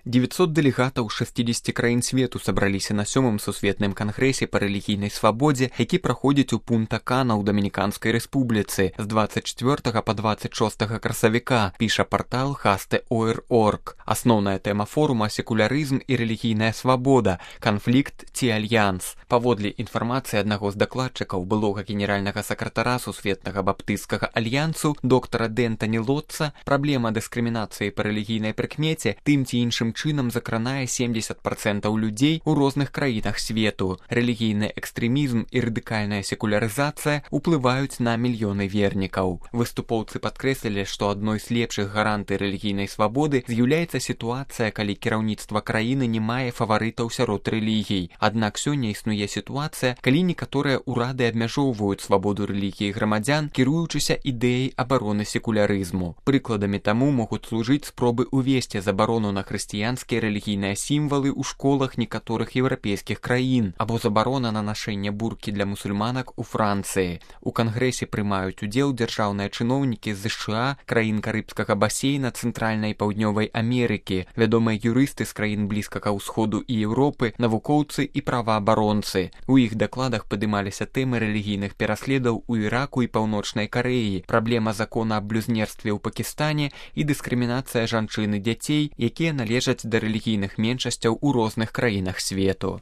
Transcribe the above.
900 дэлегатаў 60 краін свету сабраліся на 7-м сусветным кангрэсе па рэлігійнай свабодзе, які праходзіць у Пунта-Кана ў Дамініканскай рэспубліцы з 24 па 26 красавіка, піша партал haste.org. Асноўная тэма форума – секулярызм і рэлігійная свабода, канфлікт ці альянс. Паводле інфармацыі аднаго з дакладчыкаў, былога генеральнага сакратара Сусветнага баптысцкага альянсу доктара Дэнтані Лотца, праблема дыскрымінацыі па рэлігійнай прыкмеце тым ці іншым чынам закранае 70% людзей у розных краінах свету. Рэлігійны экстрэмізм і радыкальная секулярызацыя ўплываюць на мільёны вернікаў. Выступоўцы падкрэслілі, што адной з лепшых гарантый рэлігійнай свабоды з'яўляецца сітуацыя, калі кіраўніцтва краіны не мае фаварытаў сярод рэлігій. Аднак сёння існуе сітуацыя, калі некаторыя ўрады абмяжоўваюць свабоду рэлігіі грамадзян, кіруючыся ідэяй абароны секулярызму. Прыкладамі таму могуць служыць спробы ўвесці забарону на хрысціянскія рэлігійныя сімвалы ў школах некаторых еўрапейскіх краін або забарона на нашэнне буркі для мусульманак у Францыі. У кангрэсе прымаюць удзел дзяржаўныя чыноўнікі з США, краін карыбскага басейна, цэнтральнай і паўднёвай Амерыкі, вядомыя юрысты з краін блізкага ўсходу і Еўропы, навукоўцы і праваабаронцы. У іх дакладах падымаліся тэмы рэлігійных пераследаў у Іраку і Паўночнай Карэі, праблема закона аб блюзнерстве ў Пакістане і дыскрымінацыя жанчын і дзяцей, якія належаць да рэлігійных меншасцяў у розных краінах свету.